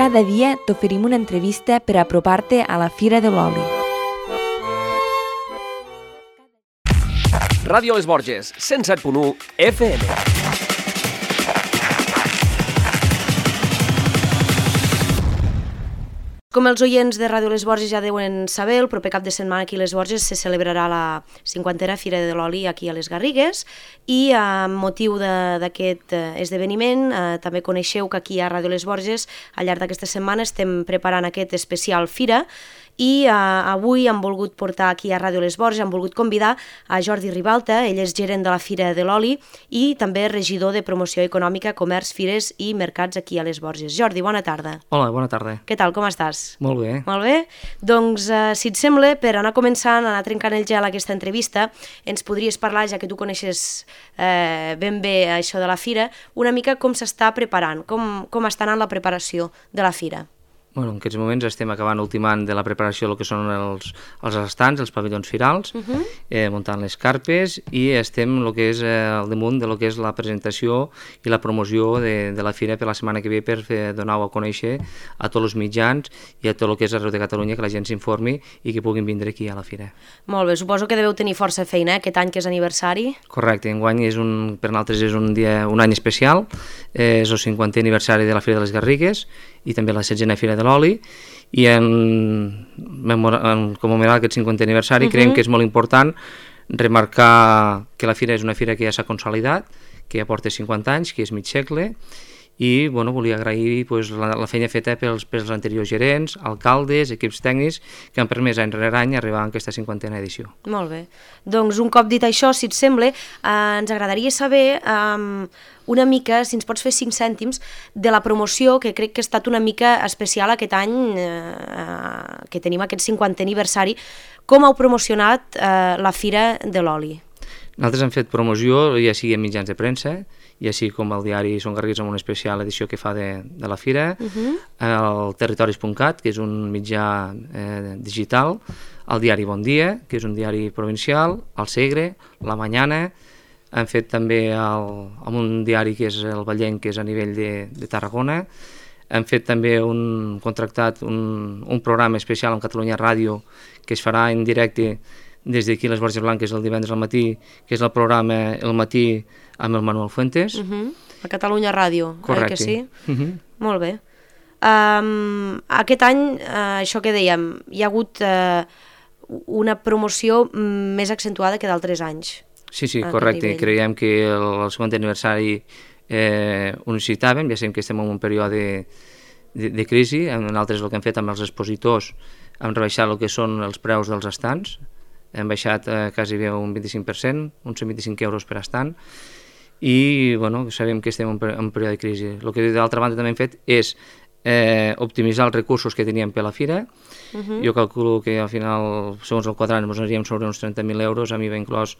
Cada dia t'oferim una entrevista per apropar-te a la Fira de l'Oli. Ràdio Les Borges, 107.1 FM. Com els oients de Ràdio Les Borges ja deuen saber, el proper cap de setmana aquí a Les Borges se celebrarà la 50a Fira de l'Oli aquí a les Garrigues i amb motiu d'aquest esdeveniment també coneixeu que aquí a Ràdio Les Borges al llarg d'aquesta setmana estem preparant aquest especial Fira i avui hem volgut portar aquí a Ràdio Les Borges, hem volgut convidar a Jordi Ribalta, ell és gerent de la Fira de l'Oli i també regidor de Promoció Econòmica, Comerç, Fires i Mercats aquí a Les Borges. Jordi, bona tarda. Hola, bona tarda. Què tal, com estàs? Molt bé. Molt bé. Doncs, si et sembla, per anar començant, anar trencant el gel a aquesta entrevista, ens podries parlar, ja que tu coneixes ben bé això de la Fira, una mica com s'està preparant, com està anant la preparació de la Fira. Bueno, en aquests moments estem ultimant de la preparació del que són els estants, els pavellons firals, muntant les carpes i estem el que és al damunt de lo que és la presentació i la promoció de la Fira per la setmana que ve per donar-ho a conèixer a tots els mitjans i a tot el que és arreu de Catalunya, que la gent s'informi i que puguin vindre aquí a la Fira. Molt bé, suposo que deveu tenir força feina aquest any que és aniversari. Correcte, enguany per nosaltres és un any especial, és el 50è aniversari de la Fira de les Garrigues i també la 16a Fira de l'Oli i en commemorar aquest 50è aniversari creiem que és molt important remarcar que la Fira és una Fira que ja s'ha consolidat, que ja porta 50 anys, que és mig segle i volia agrair la feina feta pels anteriors gerents, alcaldes, equips tècnics que han permès any rere any arribar a aquesta 50a edició. Molt bé. Doncs un cop dit això, si et sembla, ens agradaria saber una mica, si ens pots fer 5 cèntims, de la promoció, que crec que ha estat una mica especial aquest any, que tenim aquest 50è aniversari. Com heu promocionat la Fira de l'Oli? Nosaltres hem fet promoció, ja sigui en mitjans de premsa, ja sigui com el diari Som Garrigues amb una especial edició que fa de la Fira, el Territoris.cat, que és un mitjà digital, el diari Bon Dia, que és un diari provincial, el Segre, la Mañana, hem fet també amb un diari que és el Vallenc, que és a nivell de Tarragona, hem fet també contractat un programa especial en Catalunya Ràdio que es farà en directe des d'aquí les Borges Blanques el divendres al matí, que és el programa El Matí amb el Manuel Fuentes. A Catalunya Ràdio, correcte. Que sí? Molt bé. Aquest any, això que dèiem, hi ha hagut una promoció més accentuada que d'altres anys. Sí, correcte. Creiem que el 50è aniversari ho necessitàvem, ja sabem que estem en un període de crisi, nosaltres el que hem fet amb els expositors hem rebaixat el que són els preus dels estants, hem baixat quasi bé un 25%, uns 125 euros per estant, i sabem que estem en un període de crisi. El que d'altra banda també hem fet és optimitzar els recursos que teníem per la Fira. Jo calculo que al final, segons el quadrant, ens aniríem sobre uns 30.000 euros, a mi va inclòs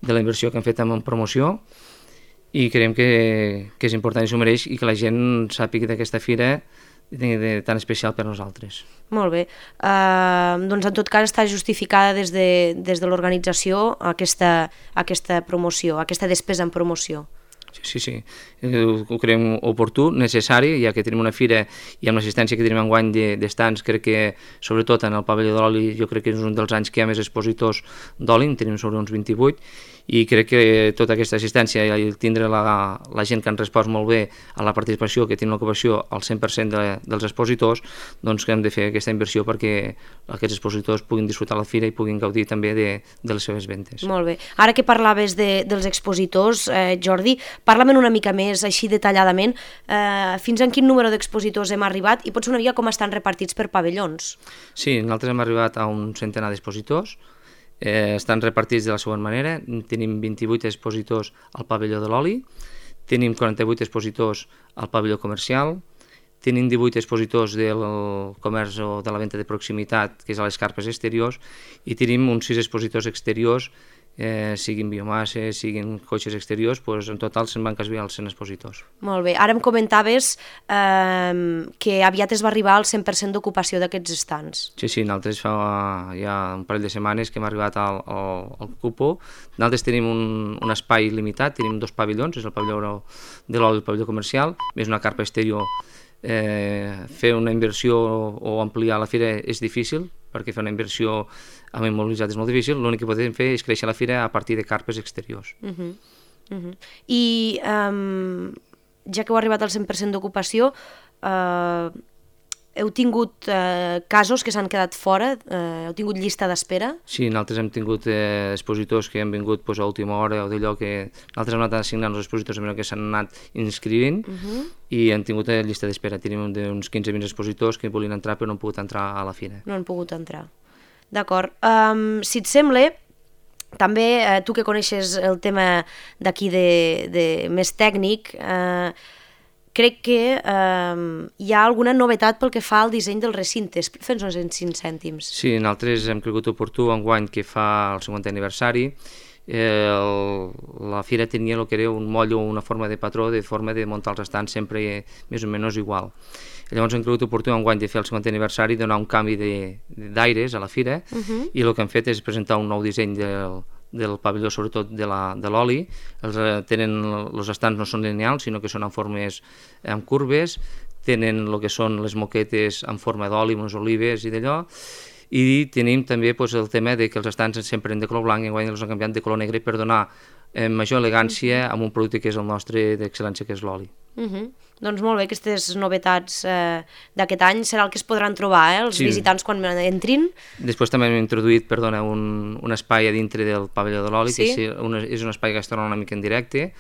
de la inversió que hem fet en promoció, i creiem que és important i s'ho mereix i que la gent sàpiga d'aquesta Fira tan especial per nosaltres. Molt bé. Doncs en tot cas està justificada des de l'organització aquesta promoció, aquesta despesa en promoció. Sí, ho creiem oportú, necessari, ja que tenim una fira i amb l'assistència que tenim enguany d'estants, crec que sobretot en el pavelló de l'oli jo crec que és un dels anys que hi ha més expositors d'oli, en tenim sobre uns 28, i crec que tota aquesta assistència i tindre la gent que han respost molt bé a la participació, que tenen l'ocupació al 100% dels expositors, doncs que hem de fer aquesta inversió perquè aquests expositors puguin disfrutar la fira i puguin gaudir també de les seves ventes. Molt bé. Ara que parlaves dels expositors, Jordi, parla'm una mica més, així detalladament, fins a quin número d'expositors hem arribat i potser una mica com estan repartits per pavellons. Sí, nosaltres hem arribat a un centenar d'expositors, estan repartits de la següent manera. Tenim 28 expositors al pavelló de l'oli, tenim 48 expositors al pavelló comercial, tenim 18 expositors del comerç o de la venda de proximitat, que és a les carpes exteriors, i tenim uns 6 expositors exteriors, siguin biomasses, siguin cotxes exteriors, doncs en total se'n van quasi als 100 expositors. Molt bé. Ara em comentaves que aviat es va arribar al 100% d'ocupació d'aquests estants. Sí, nosaltres fa ja un parell de setmanes que hem arribat al cupo. Nosaltres tenim un espai limitat, tenim 2 pavellons, és el pavelló de l'oli i el pavelló comercial, més una carpa exterior fer una inversió o ampliar la fira és difícil, perquè fer una inversió amb immobilitzat és molt difícil. L'únic que podem fer és créixer la fira a partir de carpes exteriors. I ja que heu arribat al 100% d'ocupació, heu tingut casos que s'han quedat fora? Heu tingut llista d'espera? Sí, nosaltres hem tingut expositors que han vingut a última hora o d'allò que nosaltres hem anat assignant els expositors que s'han anat inscrivint i han tingut llista d'espera. Tenim uns 15-20 expositors que volien entrar però no han pogut entrar a la fira. No han pogut entrar. D'acord. Si et sembla, també tu que coneixes el tema d'aquí de més tècnic, crec que hi ha alguna novetat pel que fa al disseny del recinte. Fes-nos en 5 cèntims. Sí, nosaltres hem cregut oportú enguany que fa el 50è aniversari. La fira tenia el que era un moll o una forma de patró, de forma de muntar els estants sempre més o menys igual. Llavors hem cregut oportú enguany de fer el 50è aniversari, donar un canvi d'aires a la fira i el que hem fet és presentar un nou disseny del pavelló, sobretot de l'oli. Els estants no són lineals, sinó que són en formes amb curves, tenen el que són les moquetes en forma d'oli, unes olives i d'allò, i tenim també el tema que els estants sempre eren de color blanc i enguany els han canviat de color negre per donar major elegància amb un producte que és el nostre d'excel·lència, que és l'oli. Doncs molt bé, aquestes novetats d'aquest any serà el que es podran trobar, els visitants quan entrin. Després també hem introduït, un espai a dintre del pavelló de l'oli, que és un espai gastronòmic en directe,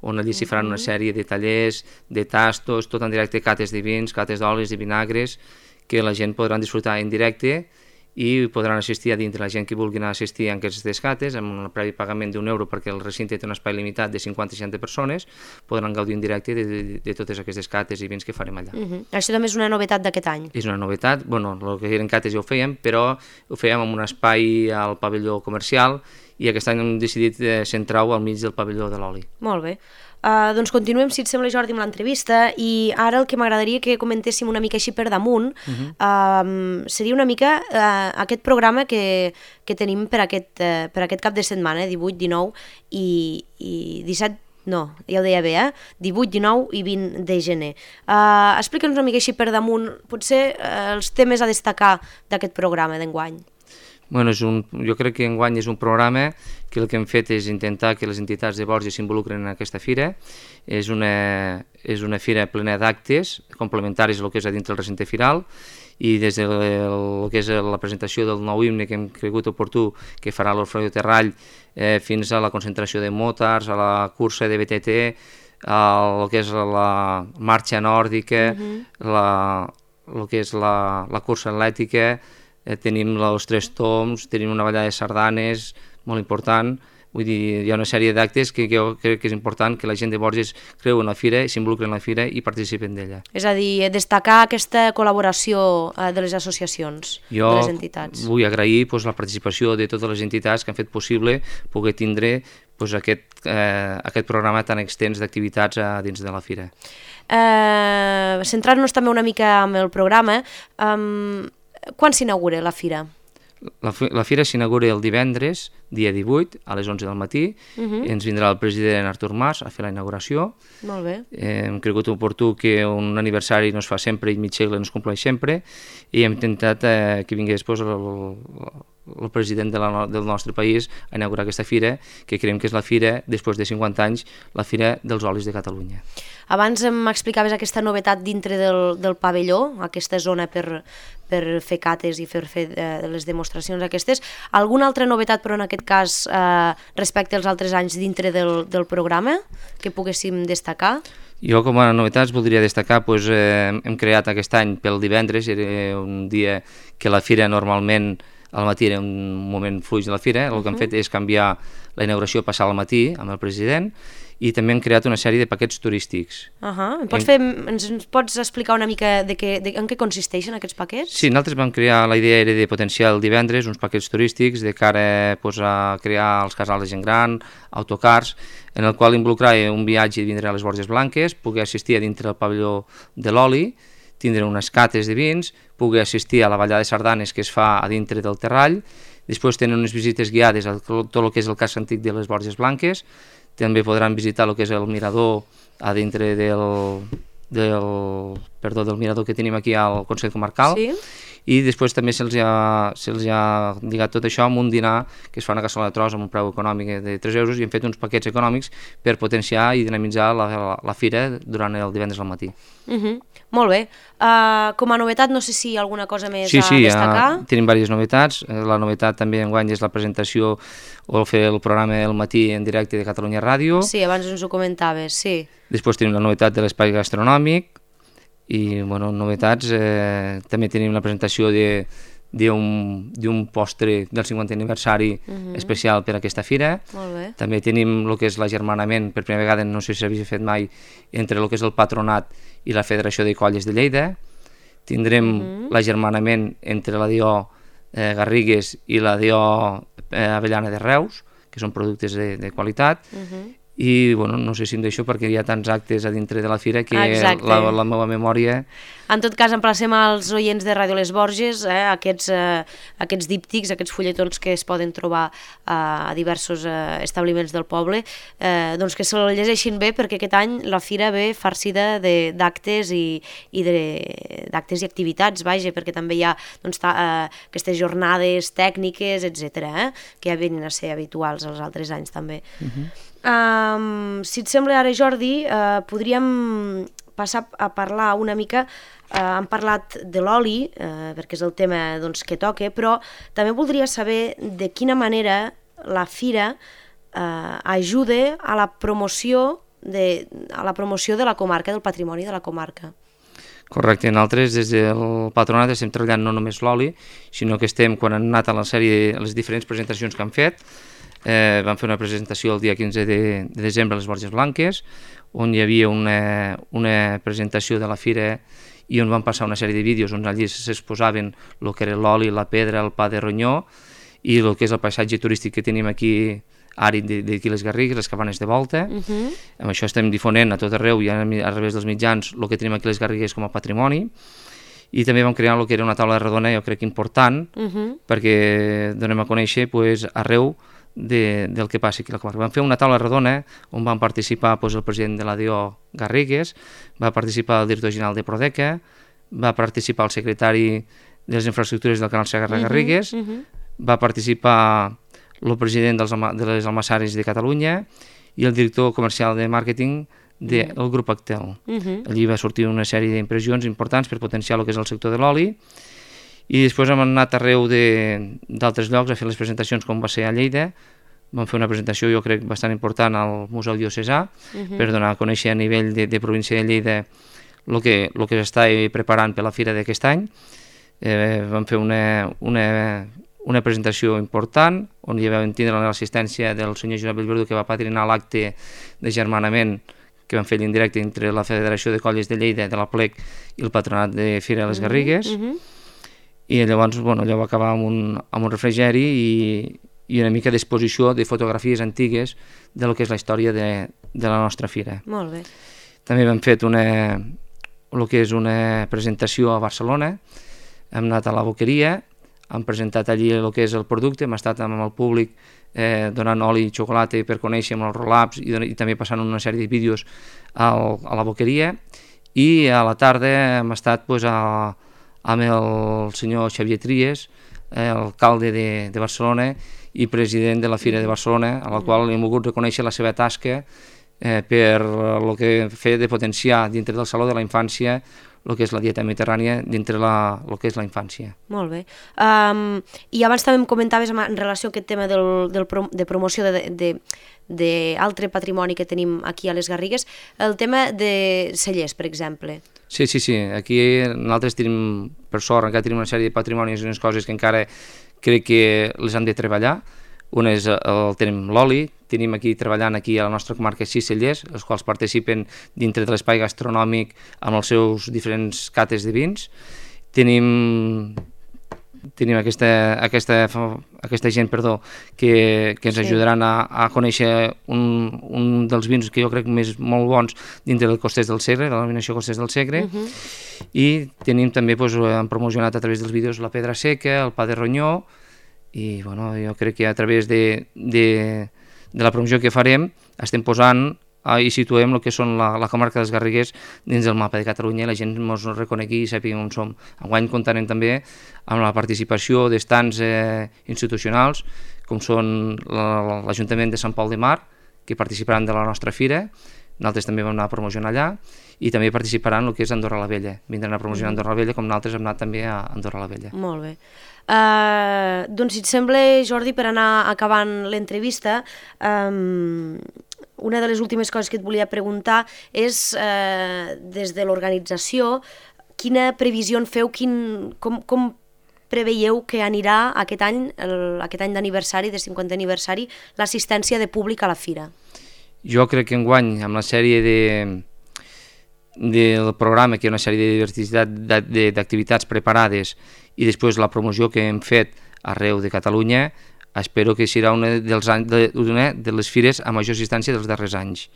on allí s'hi faran una sèrie de tallers, de tastos, tot en directe, cates de vins, cates d'olis i vinagres, que la gent podran disfrutar en directe i podran assistir a dintre. La gent que vulgui anar a assistir a aquestes cates, amb un previ pagament d'€1, perquè el recinte té un espai limitat de 50-60 persones, podran gaudir en directe de totes aquestes cates i vins que farem allà. Això també és una novetat d'aquest any? És una novetat, el que eren cates ja ho fèiem, però ho fèiem en un espai al pavelló comercial i aquest any hem decidit centrar-ho al mig del pavelló de l'oli. Molt bé. Doncs continuem, si et sembla, Jordi, amb l'entrevista, i ara el que m'agradaria que comentéssim una mica així per damunt seria una mica aquest programa que tenim per aquest cap de setmana, 18, 19 i 17, no, ja ho deia bé, 18, 19 i 20 de gener. Explica'ns una mica així per damunt, potser els temes a destacar d'aquest programa d'enguany. Jo crec que enguany és un programa que el que hem fet és intentar que les entitats de Borges s'involucren en aquesta fira. És una fira plena d'actes complementaris al que és a dintre del recinte firal, i des de el que és la presentació del nou himne que hem cregut oportú que farà l'Orfeó Terrall fins a la concentració de motards, a la cursa de BTT, el que és la marxa nòrdica, el que és la cursa atlètica, tenim els 3 toms, tenim una ballada de sardanes molt important. Vull dir, hi ha una sèrie d'actes que jo crec que és important que la gent de Borges creu en la fira, s'involucren en la fira i participen d'ella. És a dir, destacar aquesta col·laboració de les associacions, de les entitats. Jo vull agrair la participació de totes les entitats que han fet possible poder tindre aquest programa tan extens d'activitats dins de la fira. Centrant-nos també una mica en el programa, quan s'inaugura la fira? La fira s'inaugura el divendres, dia 18, a les 11 del matí. Ens vindrà el president Artur Mas a fer la inauguració. Molt bé. Hem cregut oportú que un aniversari no es fa sempre i mig segle no es compleix sempre, i hem intentat que vingui després el president del nostre país a inaugurar aquesta fira, que creiem que és la fira, després de 50 anys, la fira dels olis de Catalunya. Abans m'explicaves aquesta novetat dintre del pavelló, aquesta zona per fer cates i per fer les demostracions aquestes. Alguna altra novetat, però en aquest cas, respecte als altres anys dintre del programa, que poguéssim destacar? Jo, com a novetats, voldria destacar, hem creat aquest any pel divendres, era un dia que la fira normalment al matí era un moment fluix de la fira. El que hem fet és canviar la inauguració, passar al matí amb el president, i també hem creat una sèrie de paquets turístics. Ens pots explicar una mica en què consisteixen aquests paquets? Sí, nosaltres vam crear, la idea era de potenciar el divendres uns paquets turístics de cara a crear els casals de gent gran, autocars, en el qual involucrar un viatge i vindre a les Borges Blanques, poder assistir a dintre del pavelló de l'oli, tindre unes cates de vins, poder assistir a la ballada de sardanes que es fa a dintre del Terrall, després tenen unes visites guiades a tot el que és el casc antic de les Borges Blanques, també podran visitar el que és el mirador a dintre del mirador que tenim aquí al Consell Comarcal. Sí. I després també se'ls ha lligat tot això amb un dinar que es fa una cassola de tros amb un preu econòmic de 3 euros i hem fet uns paquets econòmics per potenciar i dinamitzar la fira durant el divendres al matí. Molt bé. Com a novetat, no sé si hi ha alguna cosa més a destacar. Sí, tenim diverses novetats. La novetat també enguany és la presentació o fer el programa El matí en directe de Catalunya Ràdio. Sí, abans ens ho comentaves, sí. Després tenim la novetat de l'espai gastronòmic i, bueno, novetats, també tenim la presentació d'un postre del 50 aniversari especial per a aquesta fira. Molt bé. També tenim el que és l'agermanament, per primera vegada, no sé si s'havia fet mai, entre el que és el Patronat i la Federació de Colles de Lleida. Tindrem l'agermanament entre la DO Garrigues i la DO Avellana de Reus, que són productes de qualitat. I, bueno, no sé si em deixo perquè hi ha tants actes a dintre de la fira que la meva memòria... En tot cas, emplacem als oients de Ràdio Les Borges aquests díptics, aquests fulletons que es poden trobar a diversos establiments del poble, doncs que se'l llegeixin bé, perquè aquest any la fira ve farcida d'actes d'actes i activitats, vaja, perquè també hi ha aquestes jornades tècniques, etc., que ja venen a ser habituals els altres anys també. Si et sembla ara, Jordi, podríem passar a parlar una mica, hem parlat de l'oli, perquè és el tema que toca, però també voldria saber de quina manera la fira ajuda a la promoció de la comarca, del patrimoni de la comarca. Correcte, nosaltres des del Patronat estem treballant no només l'oli, sinó que estem, quan han anat a les diferents presentacions que han fet, vam fer una presentació el dia 15 de desembre a les Borges Blanques, on hi havia una presentació de la fira i on van passar una sèrie de vídeos on allí s'exposaven el que era l'oli, la pedra, el pa de ronyó i el que és el paisatge turístic que tenim aquí àrid d'aquí les Garrigues, les cabanes de volta. Amb això estem difonent a tot arreu i a través dels mitjans el que tenim aquí les Garrigues com a patrimoni. I també vam crear el que era una taula redona, jo crec important, perquè donem a conèixer arreu del que passa aquí a la comarca. Vam fer una taula redona on van participar el president de la DO Garrigues, va participar el director general de Prodeca, va participar el secretari de les infraestructures del Canal Segarra-Garrigues, va participar el president de les Almassares de Catalunya i el director comercial de màrqueting del grup Actel. Allí va sortir una sèrie d'impressions importants per potenciar el que és el sector de l'oli. I després hem anat arreu d'altres llocs a fer les presentacions, com va ser a Lleida. Vam fer una presentació, jo crec, bastant important al Museu Diocesà, per donar a conèixer a nivell de província de Lleida el que s'està preparant per la fira d'aquest any. Vam fer una presentació important, on hi vam tindre l'assistència del senyor Josep Bellverdu, que va patrinar l'acte de germanament que vam fer l'indirecte entre la Federació de Colles de Lleida, de la Plec, i el Patronat de Fira de les Garrigues. I llavors allò va acabar amb un refrigeri i una mica d'exposició de fotografies antigues de lo que és la història de la nostra fira. Molt bé. També hem fet el que és una presentació a Barcelona, hem anat a la Boqueria, hem presentat allí el que és el producte, hem estat amb el públic donant oli i xocolata per conèixer amb els roll-ups i també passant una sèrie de vídeos a la Boqueria, i a la tarda hem estat amb el senyor Xavier Tries, alcalde de Barcelona i president de la Fira de Barcelona, a la qual hem volgut reconèixer la seva tasca per el que feia de potenciar dintre del Saló de la Infància el que és la dieta mediterrània dintre el que és la infància. Molt bé. I abans també em comentaves en relació a aquest tema de promoció d'altre patrimoni que tenim aquí a les Garrigues, el tema de cellers, per exemple. Sí. Aquí nosaltres tenim, per sort, encara tenim una sèrie de patrimonis i unes coses que encara crec que les hem de treballar. Un és tenim l'oli, tenim aquí treballant aquí a la nostra comarca 6 cellers, els quals participen dintre de l'espai gastronòmic amb els seus diferents cates de vins. Tenim aquesta gent que ens ajudaran a conèixer un dels vins que jo crec molt bons dintre del Costers del Segre, de la denominació Costers del Segre, i tenim també, hem promocionat a través dels vídeos la pedra seca, el pa de ronyó, i jo crec que a través de la promoció que farem estem posant i situem el que són la comarca dels Garrigues dins del mapa de Catalunya i la gent ens reconegui i sàpiga on som. Enguany comptarem també amb la participació d'estants institucionals, com són l'Ajuntament de Sant Pol de Mar, que participaran de la nostra fira. Nosaltres també vam anar a promocionar allà, i també participaran el que és Andorra la Vella. Vindran a promocionar Andorra la Vella, com nosaltres hem anat també a Andorra la Vella. Molt bé. Doncs, si et sembla, Jordi, per anar acabant l'entrevista, una de les últimes coses que et volia preguntar és, des de l'organització, quina previsió en feu, com preveieu que anirà aquest any d'aniversari, de 50è aniversari, l'assistència de públic a la fira? Jo crec que enguany, amb la sèrie del programa, que hi ha una sèrie d'activitats preparades, i després la promoció que hem fet arreu de Catalunya, espero que serà una de les fires a major assistència dels darrers anys.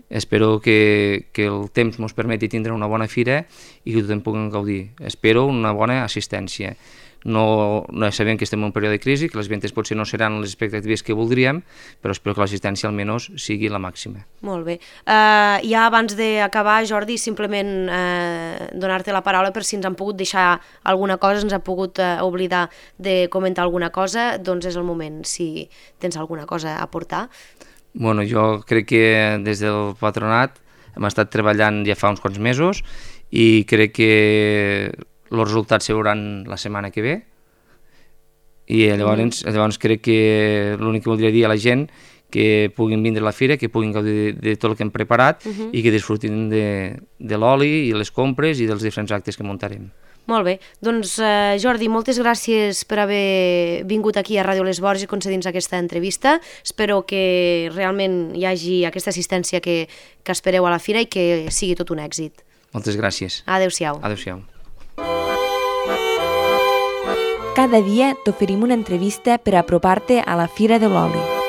Espero que el temps ens permeti tindre una bona fira i que tothom pugui gaudir. Espero una bona assistència. No sabem que estem en un període de crisi, que les ventes potser no seran les expectatives que voldríem, però espero que l'assistència almenys sigui la màxima. Molt bé. Ja abans d'acabar, Jordi, simplement donar-te la paraula per si ens han pogut deixar alguna cosa, ens han pogut oblidar de comentar alguna cosa, doncs és el moment, si tens alguna cosa a aportar. Bueno, jo crec que des del patronat hem estat treballant ja fa uns quants mesos i crec que els resultats se veuran la setmana que ve, i llavors crec que l'únic que voldria dir a la gent que puguin vindre a la fira, que puguin gaudir de tot el que hem preparat i que disfrutin de l'oli i les compres i dels diferents actes que muntarem. Molt bé, doncs Jordi, moltes gràcies per haver vingut aquí a Ràdio Les Borges i concedint-nos aquesta entrevista. Espero que realment hi hagi aquesta assistència que espereu a la fira i que sigui tot un èxit. Moltes gràcies. Adéu-siau. Adéu-siau. Cada dia t'oferim una entrevista per apropar-te a la Fira de l'Oli.